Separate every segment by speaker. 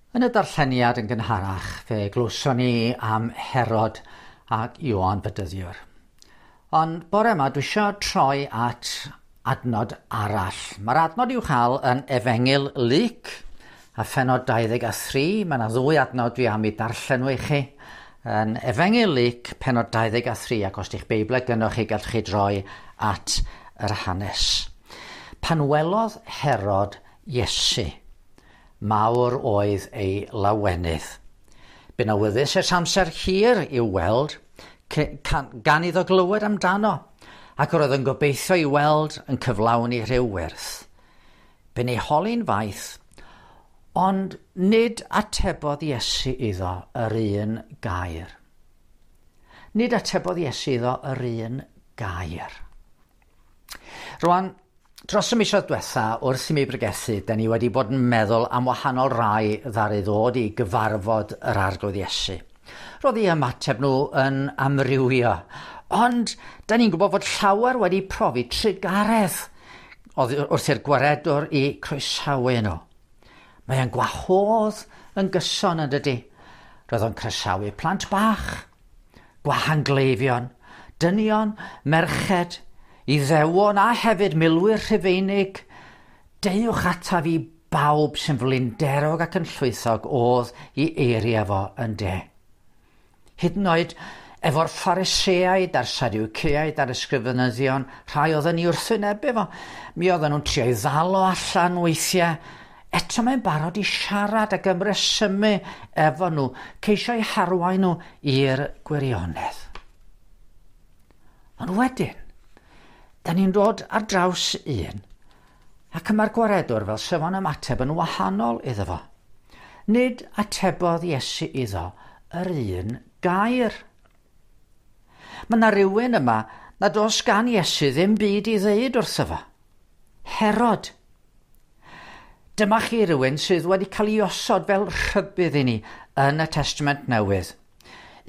Speaker 1: Yn y darlleniad yn gynharach, fe glywson ni am Herod ac Ioan Fedyddiwr. Ond bore yma, dwi eisiau troi at adnod arall. Mae'r adnod i'w chael yn Efengyl Luc a phenod 23. Mae yna ddwy adnod dwi am i darllen nhw i chi. Yn Efengyl Luc, penod 23, ac os di'ch Beiblau gynnwch chi, gallwch chi droi at yr hanes. Pan welodd Herod Iesu, Mawr oedd ei lawenydd. Bu'n awyddus ers amser hir i'w weld, gan iddo glywed amdano, ac yr oedd yn gobeithio i weld yn cyflawni rhyw wyrth. Bu'n ei holi'n faith, ond nid atebodd Iesu iddo yr un gair. Nid atebodd Iesu iddo yr un gair. Rwan, dros y misoedd diwetha, wrth i mi bregethu, da ni wedi bod yn meddwl am wahanol rai ddaru ddod i gyfarfod yr Arglwydd Iesu. Roedd eu ymateb nhw yn amrywio, ond da ni'n gwybod fod llawer wedi profi trugaredd wrth i'r gwaredwr i croesawu nhw. Mae e'n gwahodd yn gyson yn dydy. Roedd o'n croesawu plant bach, gwahangleifion, dynion, merched, Iddewon a hefyd milwyr Rhufeinig. Deuwch ataf i bawb sy'n flinderog ac yn llwythog oedd i eiriau fo yn de. Hyd yn oed efo'r Phariseaid a'r Sadwceaid a'r ysgrifenyddion, rhai oedd yn ei wrthwynebu fo. Mi oedden nhw'n trio ei ddal o allan weithiau. Eto mae'n barod i siarad ac ymresymu efo nhw, ceisio eu harwain nhw i'r gwirionedd. Ond wedyn, da ni'n dod ar draws un, ac y mae'r gwaredwr fel sef o'n ymateb yn wahanol iddo fo. Nid atebodd Iesu iddo yr un gair. Mae yna rhywun yma nad oes gan Iesu ddim byd i ddeud wrtho fo. Herod. Dyma chi rhywun sydd wedi cael ei osod fel rhybudd i ni yn y Testament Newydd.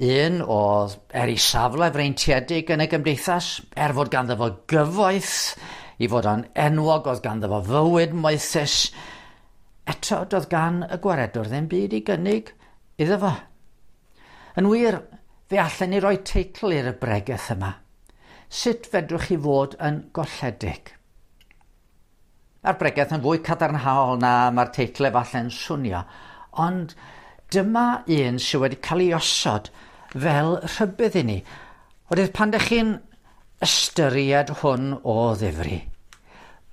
Speaker 1: Un oedd er ei safle freintiedig yn y gymdeithas, er fod ganddo fo gyfoeth, i fod o'n enwog, oedd ganddo fo fywyd moethus, eto doedd gan y gwaredwr ddim byd i gynnig iddo fo. Yn wir, fe allen ni roi teitl i'r bregeth yma. Sut fedrwch chi fod yn golledig? Mae'r bregeth yn fwy cadarnhaol na mae'r teitl efallai'n swnio, ond dyma un sydd wedi cael ei osod fel rhybudd i ni. Oherwydd pan ydych chi'n ystyried hwn o ddifri,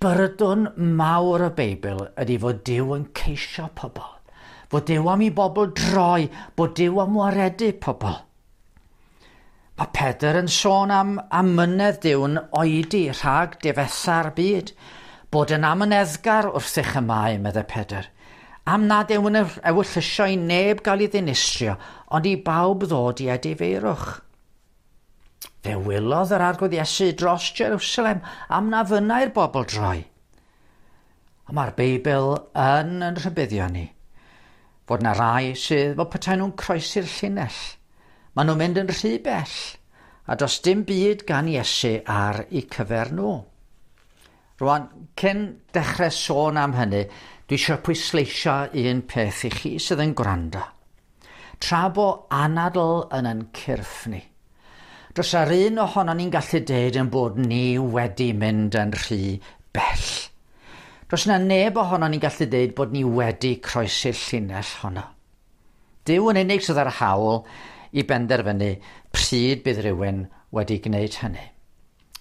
Speaker 1: byrdwn mawr y Beibl ydy fod Duw yn ceisio pobl, fod Duw am i bobl droi, bod Duw am waredu pobl. Mae Pedr yn sôn am amynedd Duw'n oedi rhag difetha'r byd, bod yn amyneddgar wrthych y mae, meddai Pedr, am nad yw'n ewyllysio i neb gael ei ddinistrio, ond i bawb ddod i edifeirwch. Fe wylodd yr Arglwydd Iesu dros Jerusalem am na fynnai'r bobl droi. Ond mae'r Beibl yn yn rhybuddio ni fod na rai sydd fel petai nhw'n croesi'r llinell. Maen nhw'n mynd yn rhy bell a does dim byd gan Iesu ar eu cyfer nhw. Rwan, cyn dechrau sôn am hynny, dwi eisiau pwysleisio un peth i chi sydd yn gwrando. Tra bo anadl yn yn cyrff ni, does ar un ohonon ni'n gallu deud yn bod ni wedi mynd yn rhy bell. Does na neb ohonon ni'n gallu deud bod ni wedi croesi'r llinell honno. Duw yn unig sydd â'r hawl i benderfynu pryd bydd rhywun wedi gwneud hynny.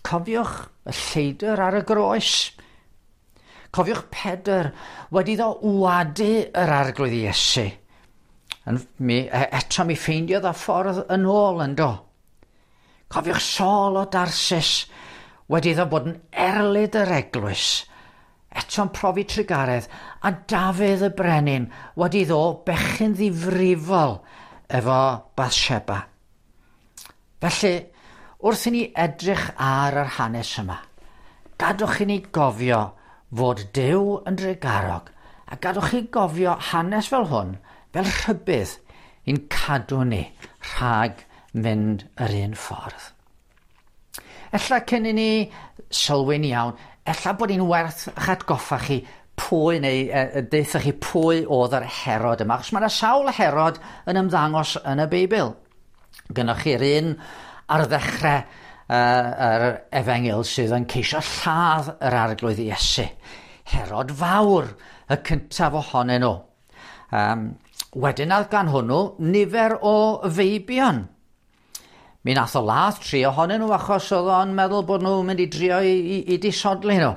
Speaker 1: Cofiwch y lleidr ar y groes. Cofiwch Pedr wedi iddo wadu yr Arglwydd Iesu. Yn, mi, e, eto mi ffeindiodd y ffordd yn ôl yn do. Cofiwch Saul o Darsis wedi iddo bod yn erlid yr eglwys. Eto'n profi trugaredd a Dafydd y brenin wedi iddo bechyn ddifrifol efo Bathsheba. Felly, wrth i ni edrych ar yr hanes yma, gadwch i ni gofio fod Duw yn drugarog, a gadwch chi gofio hanes fel hwn fel rhybudd i'n cadw ni rhag mynd yr un ffordd. Ella cyn i ni sylwi'n iawn, ella bod hi'n werth eich atgoffa chi pwy neu deuthoch chi pwy oedd yr Herod yma, achos mae yna sawl Herod yn ymddangos yn y Beibl. Gynnwch chi'r un ar ddechrau yr efengyl sydd yn ceisio lladd yr arglwydd Iesu. Herod Fawr, y cyntaf ohonyn nhw. Wedyn oedd gan hwnnw nifer o feibion. Mi nath o ladd tri ohonyn nhw achos oedd o'n meddwl bod nhw'n mynd i drio i disodli nhw.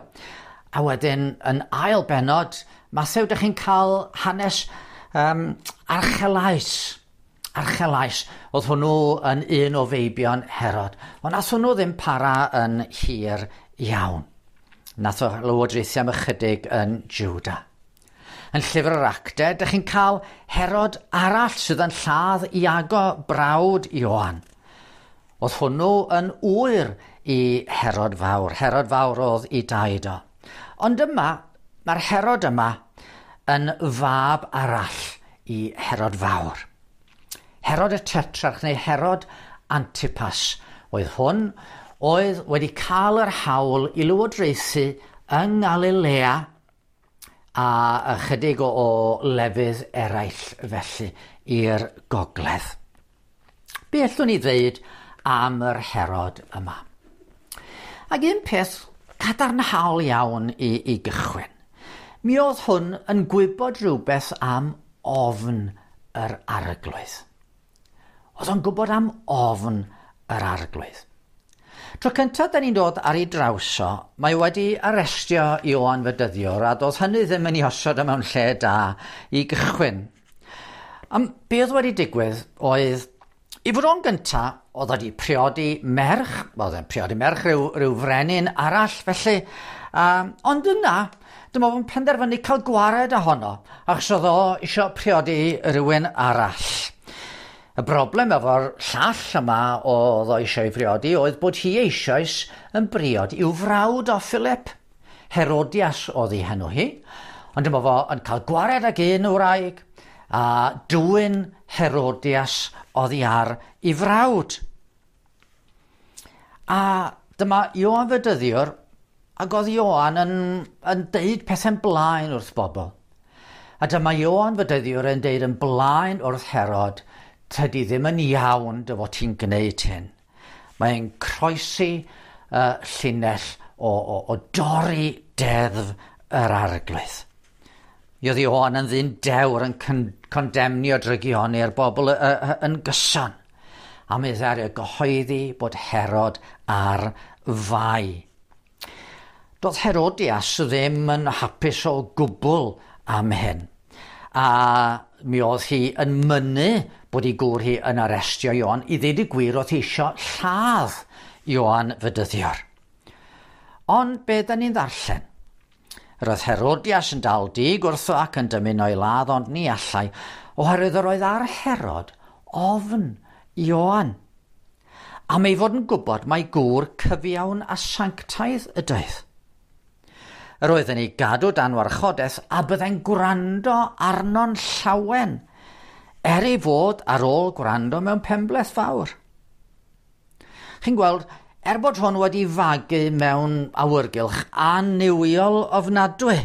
Speaker 1: A wedyn yn ail benod, Mathew, dych chi'n cael hanes Archelaus. Archelaus, oedd hwnnw yn un o feibion Herod. Ond nath hwnnw ddim para yn hir iawn. Nath o lywodraethu am ychydig yn Juda. Yn llyfr yr Actau, dych chi'n cael Herod arall sydd yn lladd Iago brawd Ioan. Oedd hwnnw yn ŵyr i Herod Fawr. Herod Fawr oedd i daid o. Ond yma, mae'r Herod yma yn fab arall i Herod Fawr. Herod y Tetrarch neu Herod Antipas oedd hwn, oedd wedi cael yr hawl i lywodraethu yng Ngalilea a ychydig o lefydd eraill felly i'r gogledd. Be allwn ni ddweud am yr Herod yma? Ac un peth cadarnhaol iawn i gychwyn. Mi oedd hwn yn gwybod rhywbeth am ofn yr arglwydd. Oedd o'n gwybod am ofn yr arglwydd. Tro cyntaf da ni'n dod ar ei draws o, mae wedi arestio Ioan Fedyddiwr a doedd hynny ddim yn ei osod o mewn lle da i gychwyn. Am be oedd wedi digwydd oedd, i fod o'n gynta, oedd wedi priodi merch, oedd e'n priodi merch rhyw frenin arall felly, ond yna, dyma fo'n penderfynu cael gwared ohono, achos oedd o eisiau priodi rhywun arall. Y broblem efo'r llall yma oedd o eisiau ei briodi oedd bod hi eisoes yn briod i'w frawd o Philip. Herodias oedd ei henw hi, ond dyma fo yn cael gwared ag un wraig a dwyn Herodias oddi ar ei frawd. A dyma Ioan Fedyddiwr, ac oedd Ioan yn deud pethau'n blaen wrth bobl. A dyma Ioan Fedyddiwr yn deud yn blaen wrth Herod, tydi ddim yn iawn dy fod ti'n gwneud hyn. Mae'n croesi llinell o dorri deddf yr arglwydd. Mi oedd Ioan yn ddyn dewr yn condemnio drygioni'r bobl yn gyson. A mi ddaru gyhoeddi bod Herod ar fai. Doedd Herodias ddim yn hapus o gwbl am hyn. A mi oedd hi yn mynnu bod ei gŵr hi yn arestio Ioan. I ddeud y gwir, oedd hi eisiau lladd Ioan Fedyddiwr. Ond be da ni'n ddarllen? Yr oedd Herodias yn dal dig wrtho ac yn dymuno ei ladd, ond ni allai, oherwydd yr oedd ar Herod ofn Ioan. Am ei fod yn gwybod mai gŵr cyfiawn a sanctaidd ydoedd. Yr oedd yn ei gadw dan warchodaeth a byddai'n gwrando arno'n llawen, er ei fod ar ôl gwrando mewn penbleth fawr. Chi'n gweld, er bod hwn wedi fagu mewn awyrgylch annuwiol ofnadwy,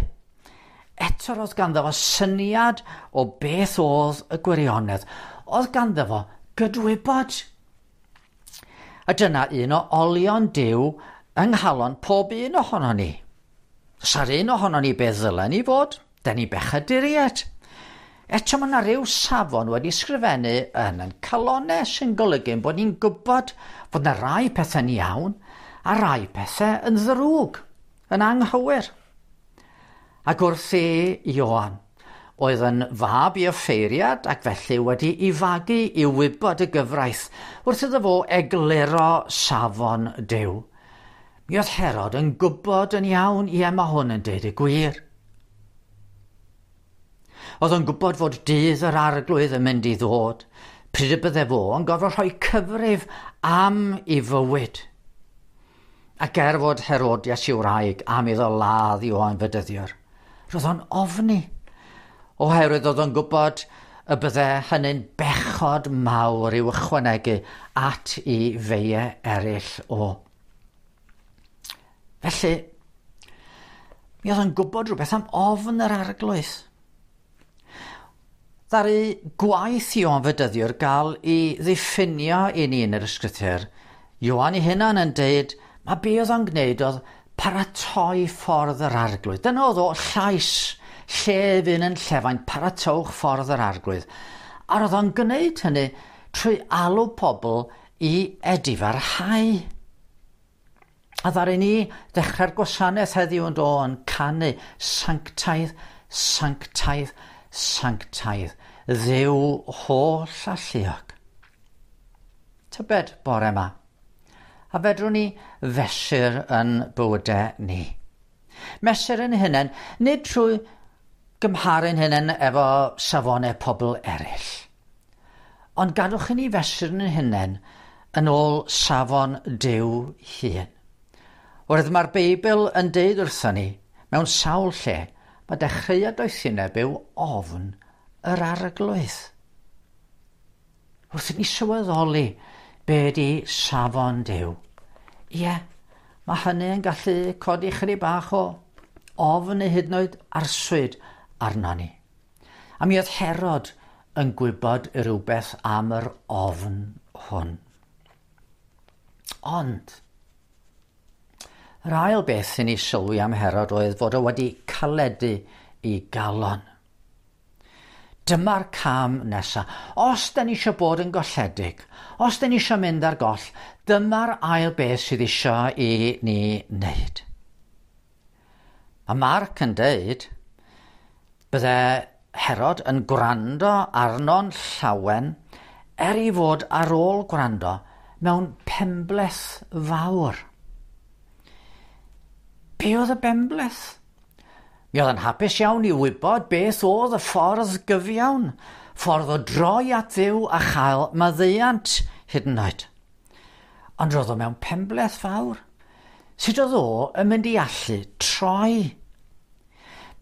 Speaker 1: eto roedd ganddo fo syniad o beth oedd y gwirionedd. Oedd ganddo fo gydwybod. A dyna un o olion Duw yng nghalon pob un ohono ni. Sa'r un ohono ni beth ddylen ni fod, da ni bechaduriaid. Eto mae yna ryw safon wedi sgrifennu yn ein calonau sy'n golygu bod ni'n gwybod fod yna rai pethau'n iawn a rai pethau yn ddrwg, yn anghywir. Ac wrth i Ioan, oedd yn fab i offeiriad ac felly wedi ei fagu i wybod y gyfraith wrth iddo fo egluro safon Duw. Mi oedd Herod yn gwybod yn iawn, ie, mae hwn yn deud y gwir. Oedd o'n gwybod fod dydd yr arglwydd yn mynd i ddod, pryd y bydde fo yn gorfod rhoi cyfrif am ei fywyd. Ac er fod Herodias i'w wraig am iddo ladd Ioan Fedyddiwr, roedd o'n ofni, oherwydd oedd o'n gwybod y bydde hynny'n bechod mawr i'w ychwanegu at ei feiau eraill o. Felly, Mi oedd o'n gwybod rhywbeth am ofn yr Arglwydd. Ddaru gwaith Ioan Fedyddiwr gael ei ddiffinio i ni yn yr ysgrythur. Ioan ei hunan yn deud, mae be oedd o'n gwneud oedd paratoi ffordd yr Arglwydd. Dyna oedd o llais llefyn yn llefain, paratowch ffordd yr Arglwydd. A roedd o'n gwneud hynny trwy alw pobl i edifarhau. A ddaru ni ddechrau'r gwasanaeth heddiw yn do yn canu sanctaidd, sanctaidd, sanctaidd, Dduw holl alluog. Tybed bore yma, a fedrwn ni fesur yn bywydau ni? Mesur yn hunain, nid trwy gymharu'n hunain efo safonau pobl eraill, ond gadwch i ni fesur yn hunain yn ôl safon Duw hun. Oherwydd mae'r Beibl yn deud wrthon ni, mewn sawl lle, mae dechreuad doethineb yw ofn yr Arglwydd. Wrth i ni sylweddoli be di safon Duw, ie, mae hynny yn gallu codi chydig bach o ofn neu hyd yn oed arswyd arno ni. A mi oedd Herod yn gwybod rhywbeth am yr ofn hwn. Ond, yr ail beth i ni sylwi am Herod oedd fod o wedi caledu i galon. Dyma'r cam nesaf. Os da ni eisiau bod yn golledig, os da ni eisiau mynd ar goll, dyma'r ail beth sydd eisiau i ni wneud. Mae Marc yn deud, bydde Herod yn gwrando arno'n llawen er ei fod ar ôl gwrando mewn penbleth fawr. Be oedd y benbleth? Mi oedd yn hapus iawn i wybod beth oedd y ffordd gyfiawn, ffordd o droi at Dduw a chael maddeuant hyd yn oed. Ond roedd o mewn penbleth fawr. Sut oedd o yn mynd i allu troi?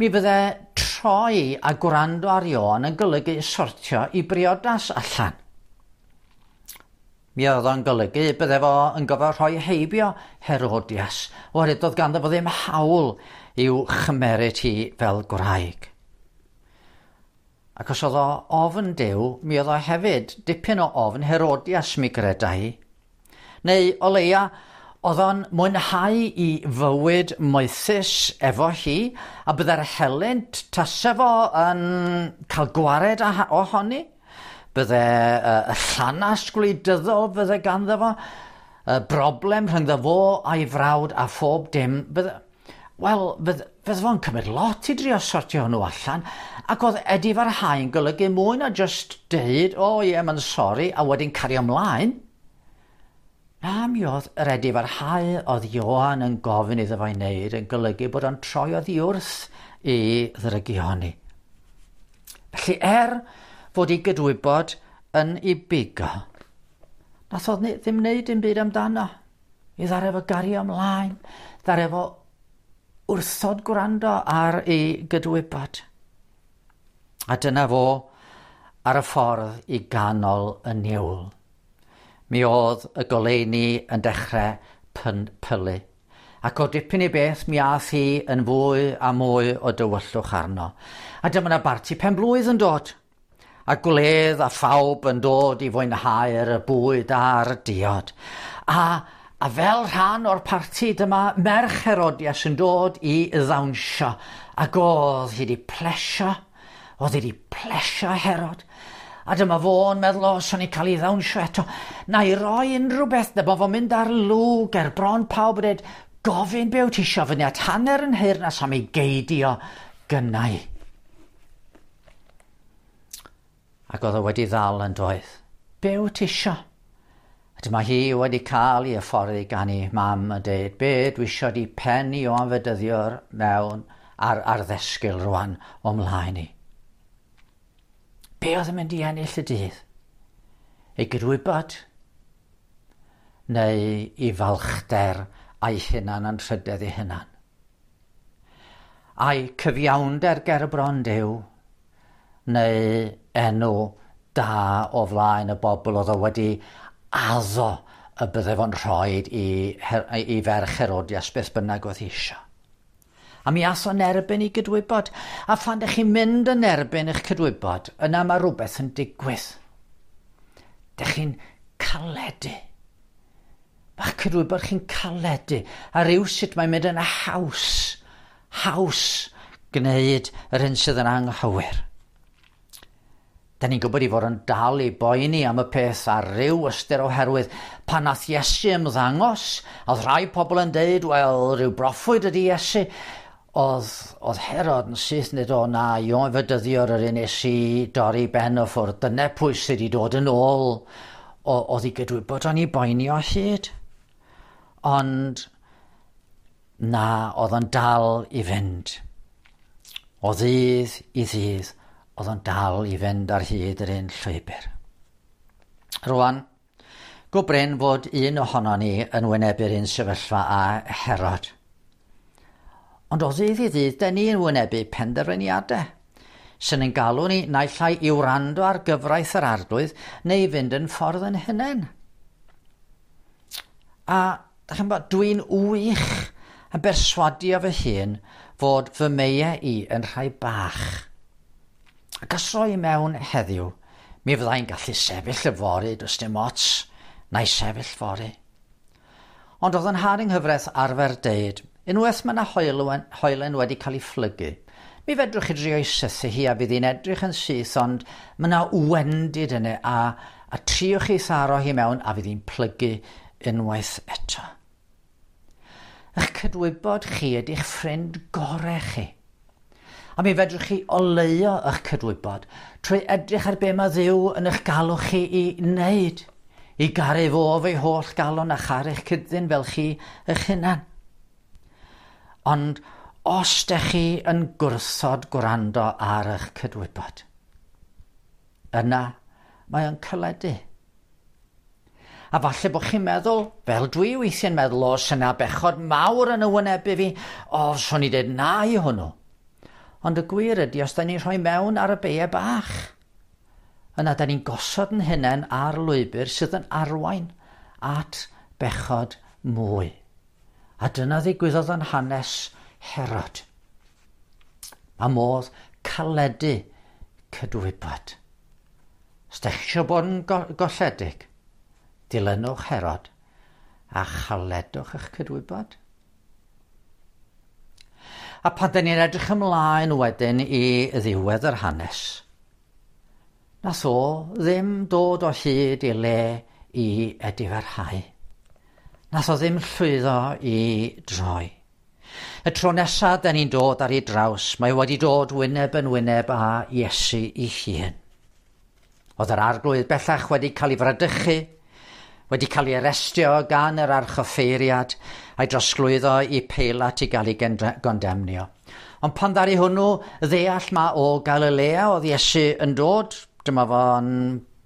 Speaker 1: Mi fydde troi a gwrando ar Ioan yn golygu sortio i briodas allan. Mi oedd o'n golygu bydde fo yn gofio rhoi heibio Herodias, oherwydd doedd ganddo fo ddim hawl i'w chymeryd hi fel gwraig. Ac os oedd o ofn Duw, mi oedd o hefyd dipyn o ofn Herodias mi greda hi. Neu o leia, oedd o'n mwynhau i fywyd moethus efo hi, a bydde'r helynt tase fo yn cael gwared ohoni. Bydde y llanast gwleidyddol fydde ganddo fo, y broblem rhyngddo fo a'i frawd a phob dim. Wel, fydde fo'n cymryd lot i drio sortio hwnnw allan, ac oedd edifarhau yn golygu mwy na just deud, o ie, mae'n sori, a wedyn cario ymlaen. Na, mi oedd yr edifarhau oedd Ioan yn gofyn iddo fo'i wneud yn golygu bod o'n troi oddi wrth i ddrygioni. Felly fod ei gydwybod yn ei bigo, nath o ddim wneud dim byd amdano. I ddaru fo gario ymlaen, ddaru fo wrthod gwrando ar ei gydwybod. A dyna fo ar y ffordd i ganol y niwl. Mi oedd y goleuni yn dechrau pylu. Ac o dipyn i beth mi ath hi yn fwy a mwy o dywyllwch arno. A dyma 'na barti penblwydd yn dod. A gwledd a phawb yn dod i fwynhau'r bwyd a'r diod. A fel rhan o'r parti dyma merch Herodias yn dod i ddawnsio. Ac oedd hi wedi plesio. Oedd hi wedi plesio Herod. A dyma fo'n meddwl, o, swn i'n cael ei ddawnsio eto. Na i roi unrhyw beth, dyma fo'n mynd ar lwg ger bron pawb yn dweud, gofyn be wyt ti isio fyny at hanner yn nheyrnas am ei geidio gynnau. Ac oedd o wedi ddal yn doedd. Be wyt ti isio? A dyma hi wedi cael ei hyfforddi gan ei mam yn deud, be dwi isio di pen Ioan Fedyddiwr mewn ar ddesgyl rwan o mlaen i. Be oedd yn mynd i ennill y dydd? Ei gydwybod? Neu i falchder a'i hunan anrhydedd ei hunan? A'i cyfiawnder ger y bron Duw? Neu enw da o flaen y bobl oedd o wedi addo y bydde fo'n rhoi i ferch Herodias beth bynnag oedd hi isio. A mi ath o'n erbyn i gydwybod. A phan ydych chi'n mynd yn erbyn eich cydwybod, yna mae rhywbeth yn digwydd. Dych chi'n caledu. Mae'ch cydwybod chi'n caledu. A rhyw sut mae'n mynd yn haws, haws gwneud yr hyn sydd yn anghywir. Da ni'n gwybod i fod yn dal i boeni am y peth ar ryw ystyr oherwydd pan nath Iesu ymddangos, oedd rhai pobl yn deud, wel, rhyw broffwyd ydy Iesu. Oedd, oedd Herod yn syth nid o na, Ioan Fedyddiwr yr un nes i dorri ben o ffwrdd. Dyna pwy sydd wedi dod yn ôl o, oedd i gydwybod o'n i boeni o hyd. Ond na, oedd o'n dal i fynd. O ddydd i ddydd, oedd o'n dal i fynd ar hyd yr un llwybr. Rwan, go brin fod un ohono ni yn wynebu'r un sefyllfa â Herod. Ond o ddydd i ddydd, da ni yn wynebu penderfyniadau sy'n ein galw ni naill ai i wrando ar gyfraith yr arglwydd neu fynd yn ffordd yn hunain. A da chi'n bod, dwi'n wych yn berswadio fy hun fod fy meiau i yn rhai bach. Ac os roi mewn heddiw, mi fyddai'n gallu sefyll yfory, does dim ots, na i sefyll fory. Ond oedd yn nhad yng nghyfraith arfer deud, unwaith mae yna hoelen, hoelen wedi cael ei phlygu, mi fedrwch chi drio i sythu hi a fydd hi'n edrych yn syth, ond mae yna wendid yna a, a triwch chi tharo hi mewn a fydd hi'n plygu unwaith eto. Eich cydwybod chi ydy'ch ffrind gorau chi. A mi fedrwch chi oleuo eich cydwybod trwy edrych ar be mae Dduw yn eich galw chi i wneud. I garu fo efo'i holl galon a charu'ch cyd-ddyn fel chi eich hunan. Ond os dych chi yn gwrthod gwrando ar eich cydwybod, yna mae o'n caledu. A falle bod chi'n meddwl, fel dwi weithiau'n meddwl, o, syna bechod mawr yn y wynebu fi, o, swn i dweud na i hwnnw. Ond y gwir ydy, os da ni'n rhoi mewn ar y beiau bach, yna da ni'n gosod yn hunain ar lwybr sydd yn arwain at bechod mwy. A dyna ddigwyddodd yn hanes Herod. Mae modd caledu cydwybod. Os da chi eisiau bod yn golledig, dilynwch Herod a chaledwch eich cydwybod. A pan da ni'n edrych ymlaen wedyn i ddiwedd yr hanes, nath o ddim dod o hyd i le i edifarhau. Nath o ddim llwyddo i droi. Y tro nesaf da ni'n dod ar ei draws, mae wedi dod wyneb yn wyneb â Iesu ei hun. Oedd yr arglwydd bellach wedi cael ei fradychu, wedi cael ei arestio gan yr archoffeiriad a'i drosglwyddo i Peilat i gael ei gondemnio. Ond pan ddaru hwnnw ddeall ma o Galilea oedd Iesu yn dod, dyma fo'n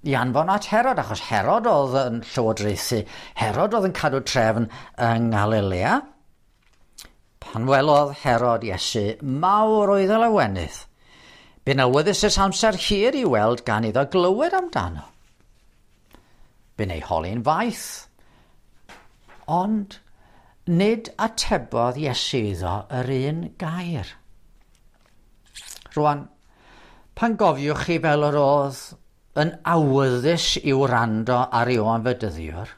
Speaker 1: i anfon at Herod, achos Herod oedd yn llywodraethu. Herod oedd yn cadw trefn yng Nghalilea. Pan welodd Herod Iesu, mawr oedd y lawenydd. Bu'n awyddus ers amser hir i weld gan iddo glywed amdano. Bu'n ei holi'n faith. Ond nid atebodd Iesu iddo yr un gair. Rwan, pan gofiwch chi fel yr oedd yn awyddus i wrando ar Ioan Fedyddiwr,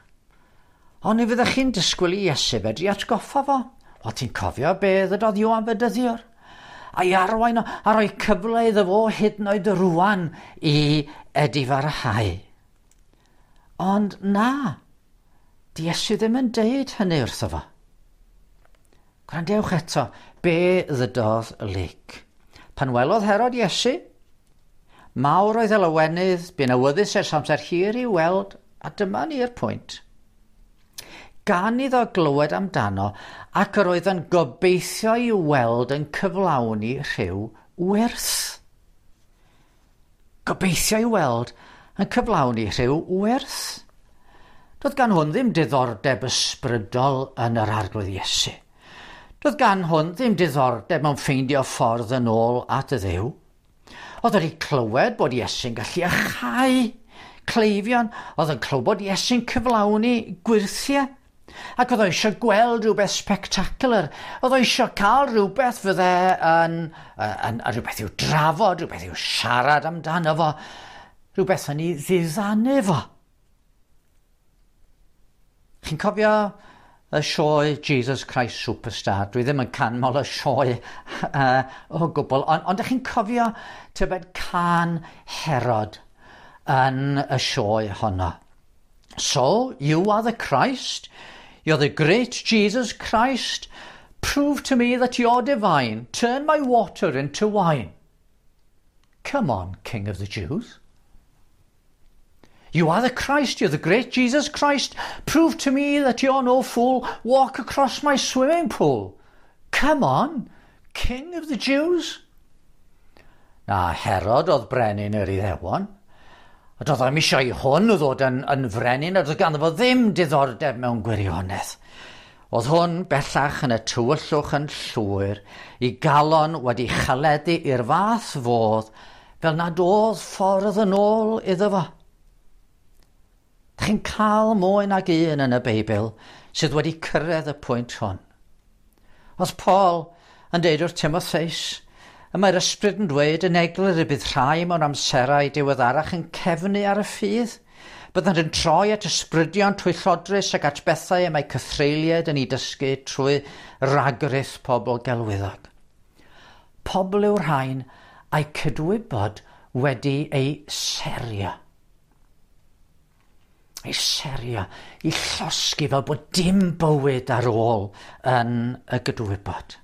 Speaker 1: ond ni fyddech chi'n disgwyl i Iesu fedru atgoffa fo. O, ti'n cofio be ddydodd Ioan Fedyddiwr? A'i arwain o, a rhoi cyfle iddo fo hyd yn oed rwan i edifarhau. Ond na, di Iesu ddim yn deud hynny wrtho fo. Gwrandewch eto, be ddydodd Luc. Pan welodd Herod Iesu, mawr oedd y lawenydd, bu'n awyddus ers amser hir i weld, a dyma ni'r pwynt. Gan iddo glywed amdano, ac yr oedd yn gobeithio i weld yn cyflawni rhyw wyrth. Gobeithio i weld yn cyflawni rhyw wyrth. Doedd gan hwn ddim diddordeb ysbrydol yn yr arglwydd Iesu. Doedd gan hwn ddim diddordeb mewn ffeindio ffordd yn ôl at y Dduw. Oedd wedi clywed bod Iesu'n gallu iachau cleifion, oedd yn clywed bod Iesu'n cyflawni gwyrthiau. Ac oedd o eisiau gweld rhywbeth spectacular. Oedd o eisiau cael rhywbeth fydde yn rhywbeth i'w drafod, rhywbeth i'w siarad amdano fo, rhywbeth yn ei ddiddanu fo. Chi'n cofio y sioe Jesus Christ Superstar? Dwi ddim yn canmol y sioe o gwbl, ond ydych chi'n cofio tybed cân Herod yn y sioe honno? "So, you are the Christ? You're the great Jesus Christ? Prove to me that you're divine. Turn my water into wine. Come on, King of the Jews. You are the Christ, you're the great Jesus Christ. Prove to me that you're no fool. Walk across my swimming pool. Come on, King of the Jews." Na, Herod oedd brenin yr Iddewon. A doedd o'm eisiau i hwn ddod yn frenin, a doedd ganddo fo ddim diddordeb mewn gwirionedd. Oedd hwn bellach yn y tywyllwch yn llwyr, ei galon wedi chaledu i'r fath fodd, fel nad oedd ffordd yn ôl iddo fo. Dych chi'n cael mwy nag un yn y Beibl sydd wedi cyrraedd y pwynt hwn. Oedd Paul yn deud wrth Timotheus, y mae'r Ysbryd yn dweud yn eglur y bydd rhai mewn amserau diweddarach yn cefnu ar y ffydd. Byddant yn troi at ysbrydion twyllodrus ac at bethau y mae cythreuliaid yn ei dysgu trwy ragrith pobl gelwyddog. Pobl yw'r rhain a'i cydwybod wedi ei serio. Ei serio, ei llosgi fel bod dim bywyd ar ôl yn y gydwybod.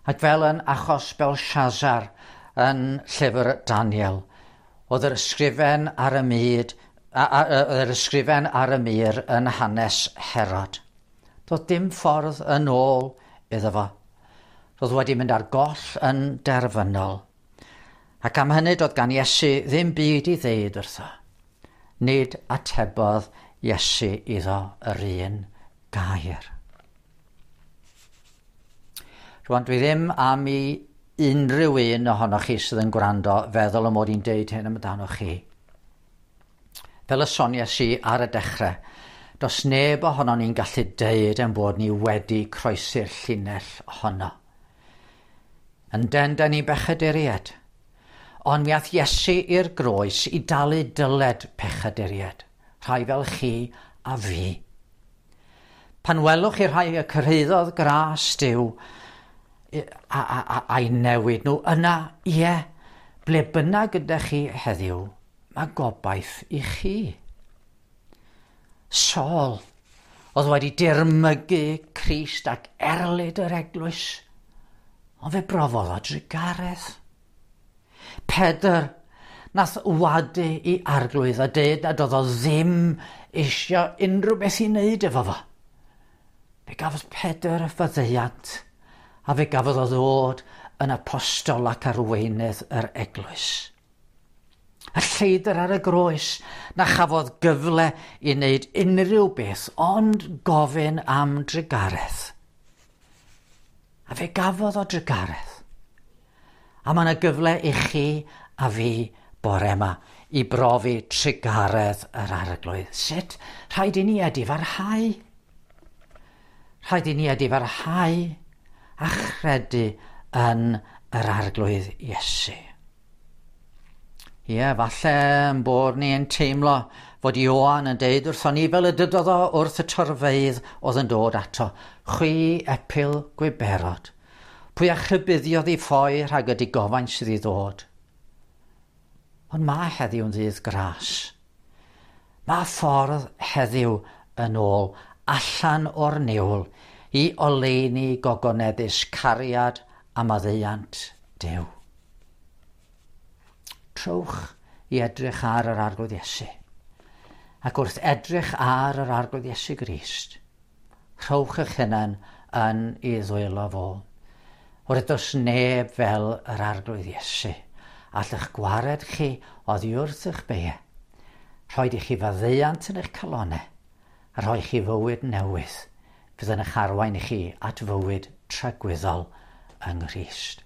Speaker 1: Ac fel yn achos Belshazzar yn llyfr Daniel, oedd yr ysgrifen ar y mud, yr ysgrifen ar y mur yn hanes Herod. Doedd dim ffordd yn ôl iddo fo. Roedd wedi mynd ar goll yn derfynol. Ac am hynny doedd gan Iesu ddim byd i ddeud wrtho. Nid atebodd Iesu iddo yr un gair. Rwan, dwi ddim am i unrhyw un ohonoch chi sydd yn gwrando feddwl y mod i'n deud hyn amdanoch chi. Fel y soniais i ar y dechrau, does neb ohonon ni'n gallu deud ein bod ni wedi croesi'r llinell honno. Yn den, da ni bechaduriaid. Ond mi ath Iesu i'r groes i dalu dyled pechaduriaid, rhai fel chi a fi. Pan welwch chi rhai y cyrhaeddodd gras Duw a'i newid nhw, yna, ie, ble bynnag gyda chi heddiw, mae gobaith i chi. Saul oedd wedi dirmygu Crist ac erlid yr eglwys, ond fe brofodd o drugaredd. Pedr nath wadu ei Arglwydd a deud nad oedd o ddim eisiau unrhyw beth i wneud efo fo. Fe gafodd Pedr faddeuant a fe gafodd o ddod yn apostol ac arweinydd yr eglwys. Y lleidr ar y groes na chafodd gyfle i wneud unrhyw beth ond gofyn am drugaredd. A fe gafodd o drugaredd. A mae yna gyfle i chi a fi bore yma i brofi trugaredd yr Arglwydd. Sut? Rhaid i ni edifarhau. Rhaid i ni edifarhau a chredu yn yr Arglwydd Iesu. Ie, falle yn bod ni'n teimlo fod Ioan yn deud wrthon ni fel y dydodd o wrth y torfeydd oedd yn dod ato: "Chwi epil gwiberod, pwy a'ch rhybuddiodd i ffoi rhag y digofaint sydd i ddod?" Ond mae heddiw'n ddydd gras. Mae ffordd heddiw yn ôl allan o'r niwl i oleuni gogoneddus cariad a maddeuant Duw. Trowch i edrych ar yr Arglwydd Iesu. Ac wrth edrych ar yr Arglwydd Iesu Grist, rhowch eich hunain yn ei ddwylo fo. Oherwydd does neb fel yr Arglwydd Iesu. All eich gwared chi oddi wrth eich beie. Rhoid i chi faddeuant yn eich calonau a rhoi chi fywyd newydd fydd yn eich arwain i chi at fywyd tragwyddol yng Nghrist.